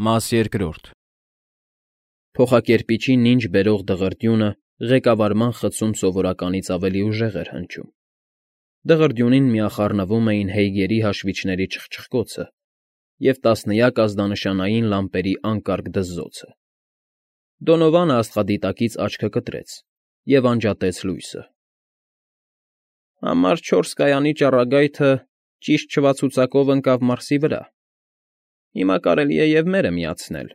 Մաս երկրորդ Փոխակերպիչի նինջ բերող դղրդյունը ղեկավարման խցում սովորականից ավելի ուժեղ էր հնչում։ Դղրդյունին միախառնվում էին Հեյգերի հաշվիչների չխչխկոցը և տասնյակ ազդանշանային լամպերի անկարգ դզզոցը։ Դոնովանը աստղադիտակից աչքը կտրեց և անջատեց լույսը։ Համար 4 կայանի ճառագայթը ճիշտ չվացուցակով ընկավ Մարսի վրա։ Հիմա կարելի է և մերը միացնել։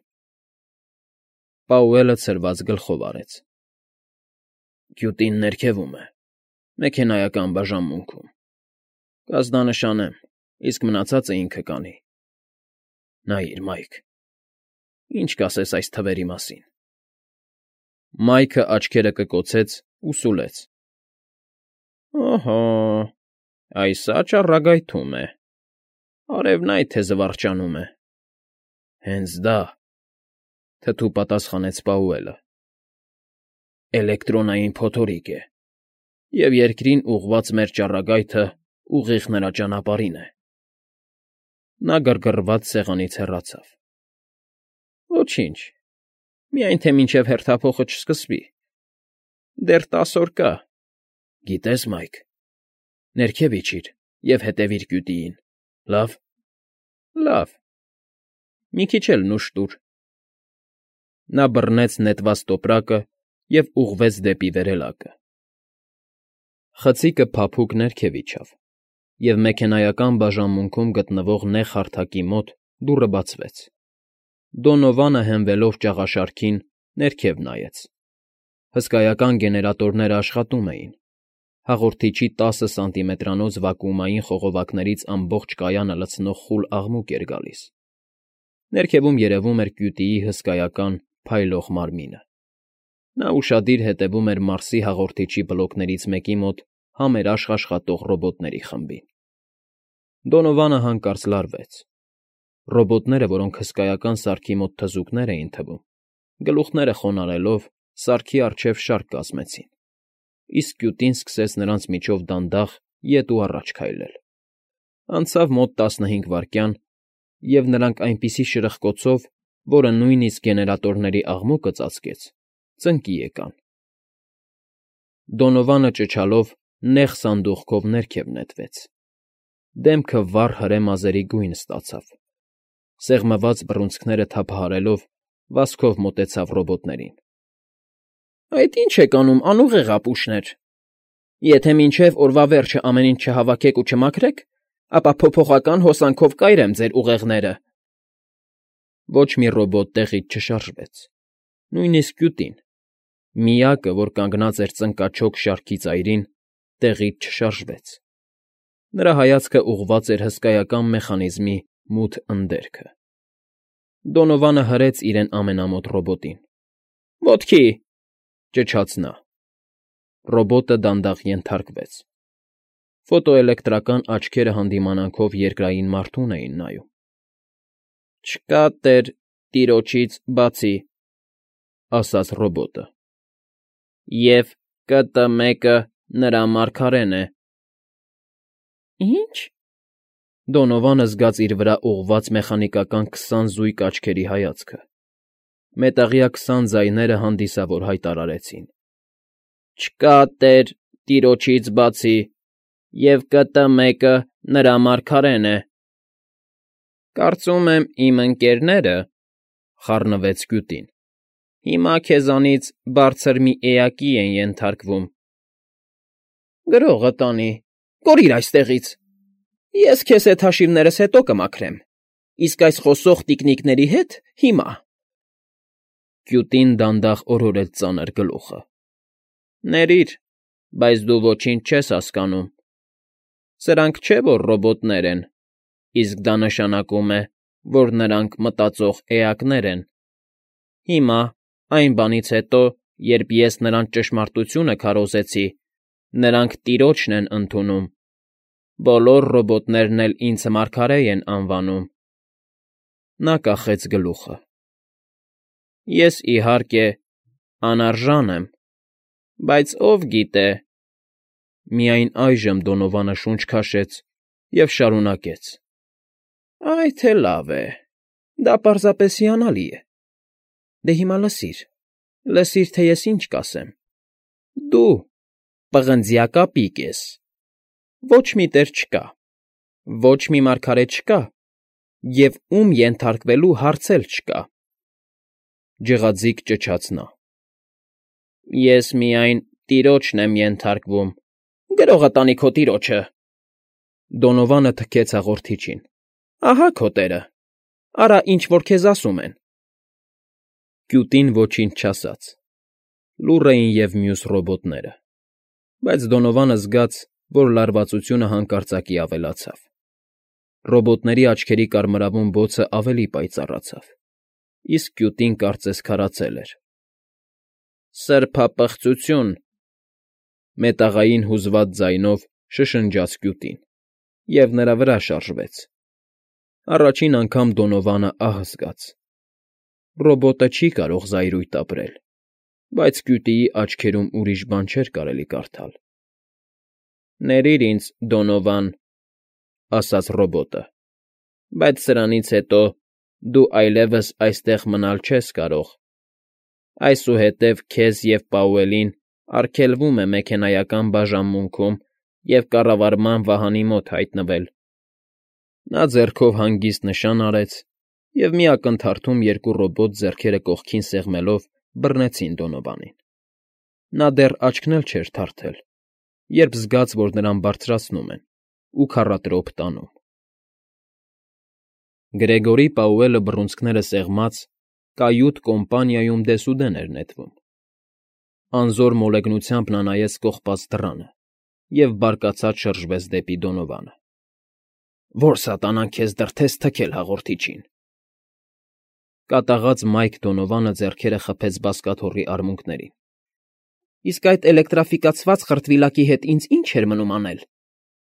Պաուելը ցրված գլխով արեց։ Գյուտին ներքևում է, մեքենայական բաժանմունքում։ Կազդանշանեմ, իսկ մնացածը ինքը կանի։ Նայիր, Մայք, ինչ կասես այս թվերի մասին։ Մայքը աչքերը կկոցեց ու սուլեց։ Օհո, այսա ճառագայթում է։ Արևն այ թե զվարճանում է։ Հենց դա, թթու պատասխանեց Պաուելը։ Էլեկտրոնային փոթորիկ է, և երկրին ուղղված մեր ճառագայթը ուղիղ նրա ճանապարհին է։ Նա գրգռված սեղանից հեռացավ։ Ոչինչ, միայն թե մինչև հերթափոխը չսկսվի։ Դեռ 10 օր կա։ Գիտես, Մայք, ներքև իջիր և հետևիր գյուտիին, լավ։ Լավ։ Մի քիչ էլ նուշ տուր։ Նա բռնեց նետված տոպրակը և ուղղվեց դեպի վերելակը։ Խցիկը փափուկ ներքև իջավ, և մեքենայական բաժանմունքում գտնվող նեղ հարթակի մոտ դուռը բացվեց։ Դոնովանը հենվելով ճաղաշարքին ներքև նայեց։ Հսկայական գեներատորները աշխատում էին։ Հաղորդիչի 10 սանտիմետրանոց վակուումային խողովակներից ամբողջ կայանը լցնող խուլ աղմուկ էր գալիս։ Ներքևում երևում էր կյուտիի հսկայական, փայլող մարմինը։ Նա ուշադիր հետևում էր Մարսի հաղորդիչի բլոկներից մեկի մոտ համերաշխ աշխատող ռոբոտների խմբին։ Դոնովանը հանկարծ լարվեց։ Ռոբոտները, որոնք հսկայական սարքի մոտ թզուկներ էին թվում, գլուխները խոնարհելով, սարքի առջև շարք կազմեցին, իսկ կյուտին սկսեց նրանց միջով դանդաղ ետ ու առաջ քայլել։ Անցավ մոտ 15 վայրկյան, և նրանք այնպիսի շրխկոցով, որը նույնիսկ գեներատորների աղմուկը ծածկեց, ծնկի եկան։ Դոնովանը ճչալով նեղ սանդուղքով ներքև նետվեց։ Դեմքը վառ հրե մազերի գույն ստացավ։ Սեղմված բռունցքները թափահարելով, վազքով մոտեցավ ռոբոտներին։ Այդ ի՞նչ եք անում, անուղեղ ապուշներ։ Եթե մինչև օրվա վերջը ամեն ինչ չհավաքեք ու չմաքրեք, ապա փոփոխական հոսանքով կայրեմ ձեր ուղեղները։ Ոչ մի ռոբոտ տեղից չշարժվեց։ Նույնիսկ կյուտին, միակը, որ կանգնած էր ծնկաչոք շարքի ծայրին, տեղից չշարժվեց։ Նրա հայացքը ուղղված էր հսկայական մեխանիզմի մութ ընդերքը։ Դոնովանը հրեց իրեն ամենամոտ ռոբոտին։ Ոտքի, ճչաց նա։ Ռոբոտը դանդաղ ենթարկվեց։ Ֆոտոէլեկտրական աչքերը հանդիմանանքով երկրային մարդուն էին նայում։ Չկա տեր տիրոջից բացի, ասաց ռոբոտը։ Եվ ԿՏ-1-ը նրա մարգարեն է։ Ի՞նչ։ Դոնովանը զգաց իր վրա ուղղված մեխանիկական 20 զույգ աչքերի հայացքը։ Մետաղյա 20 ձայները հանդիսավոր հայտարարեցին. Չկա տեր տիրոջից բացի, և ԿՏ-1-ը նրա մարգարեն է։ Կարծում եմ, իմ ընկերները, խառնվեց կյուտին, հիմա քեզանից բարձր մի էակի են ենթարկվում։ Գրողը տանի, կորիր այստեղից։ Ես քեզ հետ հաշիվներս հետո կմաքրեմ, իսկ այս խոսող տիկնիկների հետ՝ հիմա։ Կյուտին դանդաղ օրորեց ծանր գլուխը։ Ներիր, բայց դու ոչինչ չես հասկանում։ Սրանք չէ, որ ռոբոտներ են, իսկ դա նշանակում է, որ նրանք մտածող էակներ են։ Հիմա, այն բանից հետո, երբ ես նրանց ճշմարտությունը քարոզեցի, նրանք տիրոջն են ընդունում։ Բոլոր ռոբոտներն էլ ինձ մարգարե են անվանում։ Նա կախեց գլուխը։ Ես, իհարկե, անարժան եմ, բայց ով գիտե… Միայն այժմ Դոնովանը շունչ քաշեց և շարունակեց. Այ թե լավ է։ Դա պարզապես հիանալի է։ Դե հիմա լսիր, թե ես ինչ կասեմ։ Դու պղնձյա կապիկ ես, ոչ մի տեր չկա, ոչ մի մարգարե չկա, և ում ենթարկվելու հարց էլ չկա։ Ջղաձիգ ճչաց նա։ Ես միայն տիրոջն եմ ենթարկվում, գրողը տանի քո տիրոջը։ Դոնովանը թքեց հաղորդիչին։ Ահա քո տերը, արա ինչ որ քեզ ասում են։ Կյուտին ոչինչ չասաց, լուռ էին և մյուս ռոբոտները, բայց Դոնովանը զգաց, որ լարվածությունը հանկարծակի ավելացավ։ Ռոբոտների աչքերի կարմրավուն բոցը ավելի պայծառացավ, իսկ կյուտին կարծես քարացել էր։ Սրբապղծություն, մետաղային հուզված ձայնով շշնջաց կյուտին, և նրա վրա շարժվեց։ Առաջին անգամ Դոնովանը ահ զգաց։ Ռոբոտը չի կարող զայրույթ ապրել, բայց կյուտիի աչքերում ուրիշ բան չէր կարելի կարդալ։ Ներիր ինձ, Դոնովան, ասաց ռոբոտը, բայց սրանից հետո դու այլևս այստեղ մնալ չես կարող։ Այսուհետև քեզ և Պաուելին արգելվում է մեքենայական բաժանմունքում և կառավարման վահանի մոտ հայտնվել։ Նա ձեռքով հանգիստ նշան արեց, և մի ակնթարթում երկու ռոբոտ ձեռքերը կողքին սեղմելով բռնեցին Դոնովանին։ Նա դեռ աչքն էլ չէր թարթել, երբ զգաց, որ նրան բարձրացնում են ու քառատրոփ տանում։ Գրեգորի Պաուելը բռունցքները սեղմած կայութ կոմպանիայում դեսուդեն էր նետվում։ Անզոր մոլեգնությամբ նա նայեց կողպած դռանը և բարկացած շրջվեց դեպի Դոնովանը։ Որ սատանան քեզ դրդեց թքել հաղորդիչին։ Կատաղած Մայք Դոնովանը ձեռքերը խփեց բազկաթոռի արմունկներին։ Իսկ այդ էլեկտրաֆիկացված խրտվիլակի հետ ինձ ինչ էր մնում անել։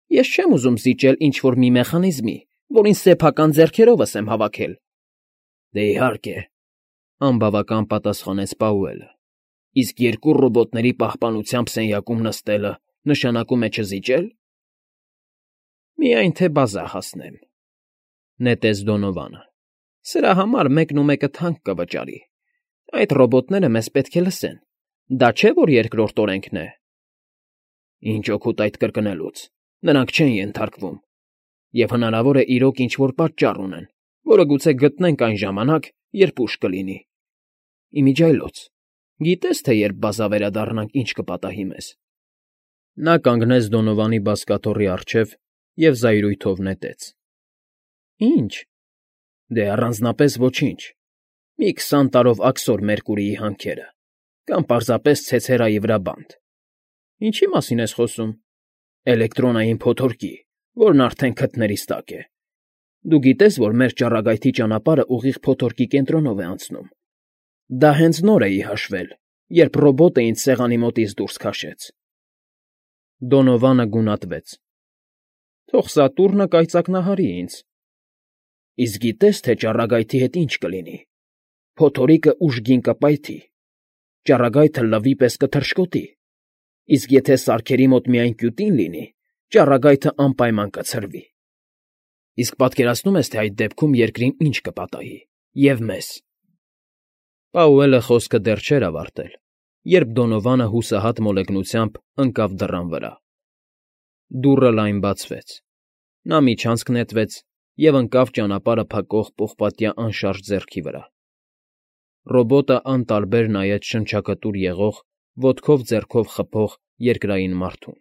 Ես չեմ ուզում զիջել ինչ֊որ մի մեխանիզմի, որին սեփական ձեռքերովս եմ հավաքել։ Դե իհարկե, անբավական պատասխանեց Պաուելը։ Իսկ երկու ռոբոտների պահպանությամբ սենյակում նստելը նշանակում է չզիջել։ Միայն թե բազա հասնեմ, նետեց Դոնովանը։ Սրա համար մեկն ու մեկը թանկ կվճարի։ Այդ ռոբոտները մեզ պետք է լսեն։ Դա չէ, որ երկրորդ օրենքն է։ Ինչ օգուտ այդ կրկնելուց։ Նրանք չեն ենթարկվում։ Եվ հնարավոր է իրոք ինչ֊որ պատճառ ունեն, որը գուցե գտնենք այն ժամանակ, երբ ուշ կլինի։ Իմիջիայլոց, գիտես, թե երբ բազա վերադառնանք, ինչ կպատահի մեզ։ Նա կանգնեց Դոնովանի բազկաթոռի առջև և զայրույթով նետեց։ Ինչ։ Դե առանձնապես ոչինչ։ Մի 20 տարով աքսոր Մերկուրիի հանքերը, կամ պարզապես ցեցերայի վրա բանտ։ Ինչի մասին ես խոսում։ Էլեկտրոնային փոթորկի, որն արդեն քթներիս տակ է։ Դու գիտես, որ մեր ճառագայթի ճանապարհը ուղիղ փոթորկի կենտրոնով է անցնում։ Դա հենց նոր էի հաշվել, երբ ռոբոտը ինձ սեղանի մոտից դուրս քաշեց։ Դոնովանը գունատվեց։ Թող Սատուրնը կայծակնահարի ինձ։ Իսկ գիտես, թե ճառագայթի հետ ինչ կլինի։ Փոթորիկը ուժգին կպայթի, ճառագայթը լվի պես կթռշկոտի, իսկ եթե սարքերի մոտ միայն կյուտին լինի, ճառագայթը անպայման կցրվի։ Իսկ պատկերացնո՞ւմ ես, թե այդ դեպքում երկրին ինչ կպատահի, և մեզ։ Պաուելը խոսքը դեռ չէր ավարտել, երբ Դոնովանը հուսահատ մոլեգնությամբ ընկավ դռան վրա։ Դուռը լայն բացվեց։ Նա միջանցք նետվեց և ընկավ ճանապարհը փակող պողպատյա անշարժ ձեռքի վրա։ Ռոբոտը անտարբեր նայեց շնչակտուր եղող, ոտքով ձեռքով խփող երկրային մարդուն։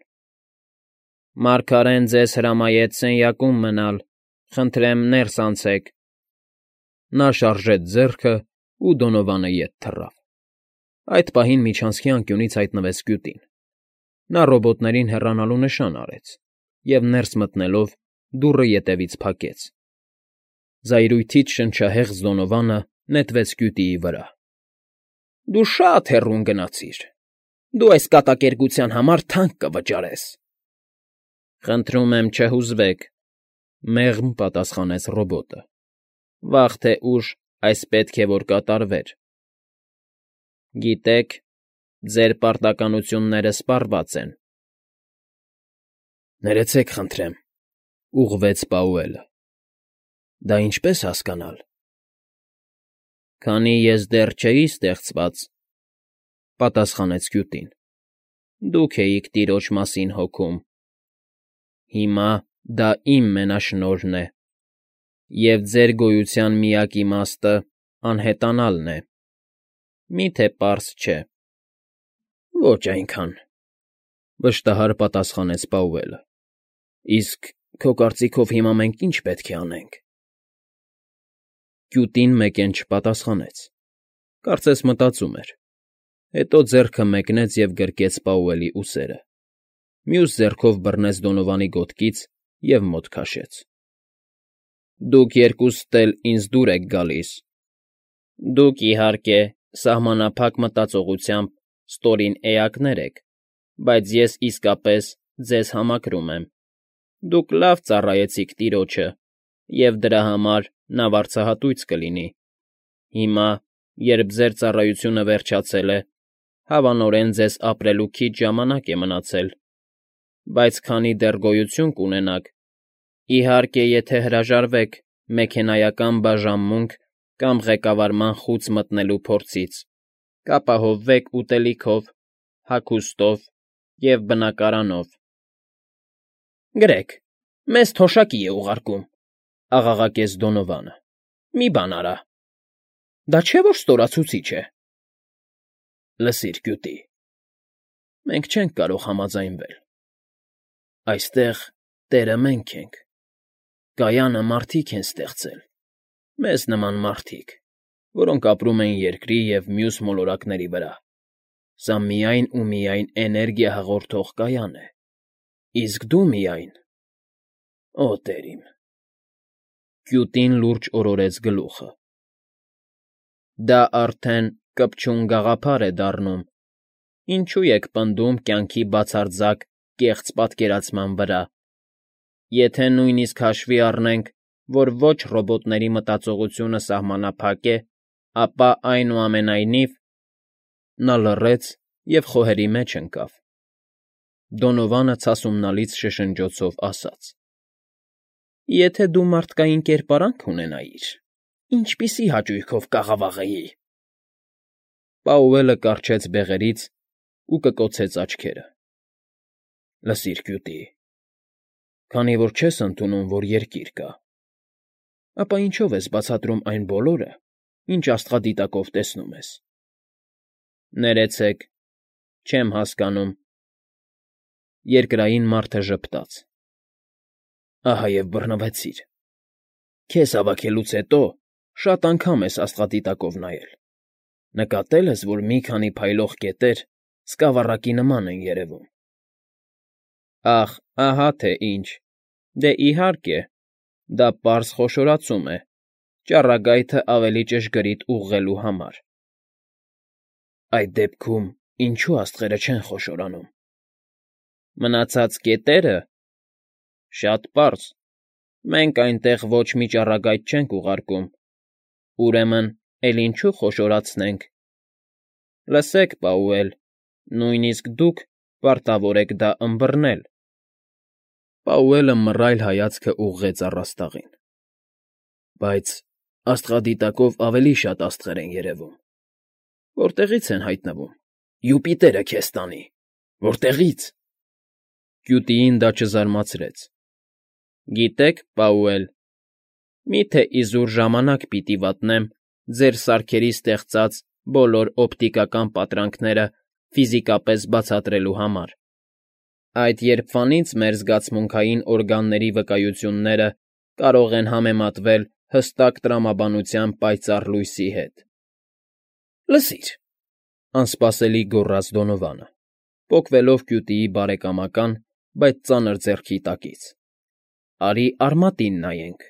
Մարգարեն ձեզ հրամայեց սենյակում մնալ, խնդրեմ ներս անցեք։ Նա շարժեց ձեռքը, ու Դոնովանը ետ թռավ։ Այդ պահին միջանցքի անկյունից հայտնվեց կյուտին։ Նա ռոբոտներին հեռանալու նշան արեց և, ներս մտնելով, դուռը ետևից փակեց։ Զայրույթից շնչահեղձ Դոնովանը նետվեց կյուտիի վրա։ Դու շատ հեռուն գնացիր։ Դու այս կատակերգության համար թանկ կվճարես։ Խնդրում եմ չհուզվեք, մեղմ պատասխանեց ռոբոտը։ Վաղ թե ուշ այս պետք է որ կատարվեր։ Գիտեք, ձեր պարտականությունները սպառված են։ Ներեցեք, խնդրեմ, ուղղվեց Պաուելը։ Դա ինչպես հասկանալ։ Քանի ես դեռ չէի ստեղծված, պատասխանեց Կյուտին, դուք էիք տիրոջ մասին հոգում, հիմա դա իմ մենաշնորհն է, և ձեր գոյության միակ իմաստը անհետանալն է, մի՞թե պարզ չէ։ Ոչ այնքան, վշտահար պատասխանեց Պաուելը։ Իսկ քո կարծիքով հիմա մենք ի՞նչ պետք է անենք։ Կյուտին մեկեն չպատասխանեց, կարծես մտածում էր, հետո ձեռքը մեկնեց և գրկեց Պաուելի ուսերը, մյուս ձեռքով բռնեց Դոնովանի գոտկից և մոտ քաշեց։ Դուք երկուստ էլ ինձ դուր եք գալիս։ Դուք, իհարկե, սահմանափակ մտածողությամբ ստորին էակներ եք, բայց ես իսկապես ձեզ համակրում եմ։ Դուք լավ ծառայեցիք տիրոջը, և դրա համար նա վարձահատույց կլինի։ Հիմա, երբ ձեր ծառայությունը վերջացել է, հավանորեն ձեզ ապրելու քիչ ժամանակ է մնացել, բայց քանի դեռ գոյություն կունենաք, իհարկե, եթե հրաժարվեք մեքենայական բաժանմունք կամ ղեկավարման խուծ մտնելու փորձից, կապահովվեք ուտելիքով, հագուստով և բնակարանով։ Գրեք, մեզ թոշակի է ուղարկում, աղաղակեց Դոնովանը։ Մի բան արա։ Դա չէ՞ որ ստորացուցիչ է։ Լսիր, Կյուտի, մենք չենք կարող համաձայնվել։ Այստեղ տերը մենք ենք։ Գայանը մարդիկ են ստեղծել, մեզ նման մարդիկ, որոնք ապրում են երկրի և մյուս մոլորակների վրա։ Սա միայն ու միայն էներգիա հաղորդող կայան է, իսկ դու միայն… Օ, տեր իմ… Կյուտին լուրջ օրորեց գլուխը։ Դա արդեն կպչուն գաղափար է դառնում, ինչու եք պնդում կյանքի բացարձակ կեղծ պատկերացման վրա։ Եթե նույնիսկ հաշվի առնենք, որ ոչ ռոբոտների մտածողությունը սահմանափակ է, ապա, այնուամենայնիվ… Նա լռեց և խոհերի մեջ ընկավ։ Դոնովանը ցասումնալից շշնջոցով ասաց. Եթե դու մարդկային կերպարանք ունենայիր, ինչպիսի հաճույքով կաղավաղեի… Պաուելը կառչեց բեղերից ու կկոցեց աչքերը։ Լսիր, Կյուտի, քանի որ չես ընդունում, որ երկիր կա, ապա ինչո՞վ ես բացատրում այն բոլորը, ինչ աստղադիտակով տեսնում ես։ Ներեցեք, չեմ հասկանում։ Երկրային մարդը ժպտաց։ Ահա և բռնվեցիր։ Քեզ հավաքելուց հետո շատ անգամ ես աստղադիտակով նայել։ Նկատել ես, որ մի քանի փայլող կետեր սկավառակի նման են երևում։ Ախ, ահա թե ինչ… Դե, իհարկե, դա պարզ խոշորացում է, ճառագայթը ավելի ճշգրիտ ուղղելու համար։ Այդ դեպքում ինչո՞ւ աստղերը չեն խոշորանում։ Մնացած կետերը… Շատ պարզ… Մենք այնտեղ ոչ մի ճառագայթ չենք ուղարկում, ուրեմն էլ ինչու խոշորացնենք։ Լսեք, Պաուել, նույնիսկ դուք պարտավոր եք դա ըմբռնել։ Պաուելը մռայլ հայացքը ուղղեց առաստաղին։ Բայց աստղադիտակով ավելի շատ աստղեր են երևում։ Որտեղի՞ց են հայտնվում։ Յուպիտերը քեզ տանի… Որտեղի՞ց… Կյուտիին դա չզարմացրեց։ Գիտեք, Պաուել, մի՞թե իզուր ժամանակ պիտի վատնեմ ձեր սարքերի ստեղծած բոլոր օպտիկական պատրանքները ֆիզիկապես բացատրելու համար։ Այդ երբվանից մեր զգացմունքային օրգանների վկայությունները կարող են համեմատվել հստակ տրամաբանության պայծառ լույսի հետ։ Լսիր, անսպասելի գոռաց Դոնովանը, պոկվելով Կյուտիի բարեկամական, բայց ծանր ձեռքի տակից։ Արի արմատին նայենք։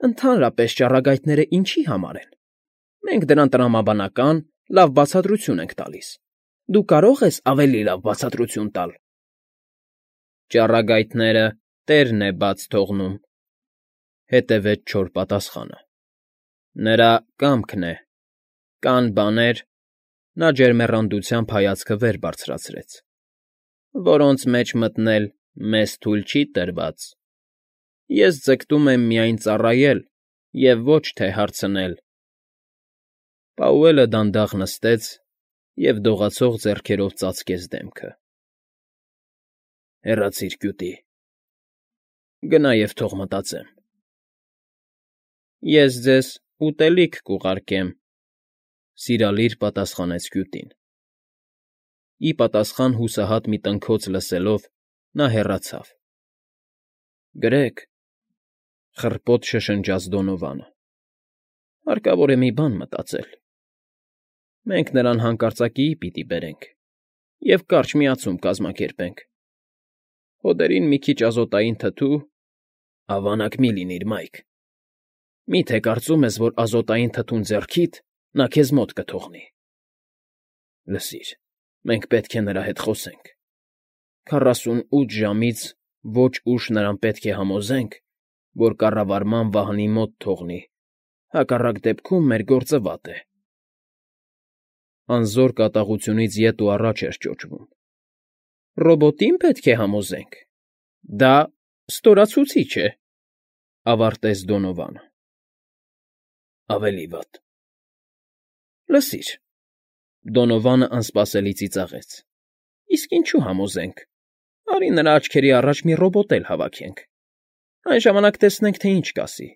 Ընդհանրապես ճառագայթները ինչի համար են։ Մենք դրան տրամաբանական, լավ բացատրություն ենք տալիս։ Դու կարո՞ղ ես ավելի լավ բացատրություն տալ։ Ճառագայթները տերն է բաց թողնում, հետևեց չոր պատասխանը։ Նրա կամքն է։ Կան բաներ… Նա ջերմեռանդությամբ հայացքը վեր բարձրացրեց, որոնց մեջ մտնել մեզ թույլ չի տրված։ Ես ձգտում եմ միայն ծառայել և ոչ թե հարցնել։ Պաուելը դանդաղ նստեց և դողացող ձեռքերով ծածկեց դեմքը։ ֊ Հեռացիր կյուտի, գնա և թող մտածեմ։ ֊ Ես ձեզ ուտելիք կուղարկեմ,֊ սիրալիր պատասխանեց կյուտին։ Ի պատասխան հուսահատ մի տնքոց լսելով՝ նա հեռացավ։ ֊ Գրեգ,֊ խռպոտ շշնջաց Դոնովանը,֊ հարկավոր է մի բան մտածել։ Մենք նրան հանկարծակիի պիտի բերենք և կարճ միացում կազմակերպենք։ Հոդերին մի քիչ ազոտային թթու… Ավանակ մի՛ լինիր, Մայք, մի՞թե կարծում ես, որ ազոտային թթուն ձեռքիդ նա քեզ մոտ կթողնի։ Լսիր, մենք պետք է նրա հետ խոսենք։ 48 ժամից ոչ ուշ նրան պետք է համոզենք, որ կառավարման վահանի մոտ թողնի, հակառակ դեպքում մեր գործը վատ է։ Անզոր կատաղությունից ետ ու առաջ էր ճոճվում։ Ռոբոտի՞ն պետք է համոզենք։ Դա ստորացուցիչ է,֊ ավարտեց Դոնովանը։ Ավելի վատ։ Լսիր,֊ Դոնովանը անսպասելի ծիծաղեց,֊ իսկ ինչու համոզենք։ Արի նրա աչքերի առաջ մի ռոբոտ էլ հավաքենք։ Այն ժամանակ տեսնենք, թե ինչ կասի։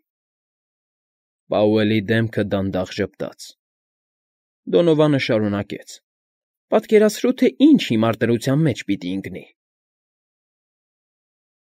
Պաուելի դեմքը դանդաղ ժպտաց։ Դոնովանը շարունակեց. Պատկերացրու, թե ինչ հիմար դրության մեջ պիտի ընկնի։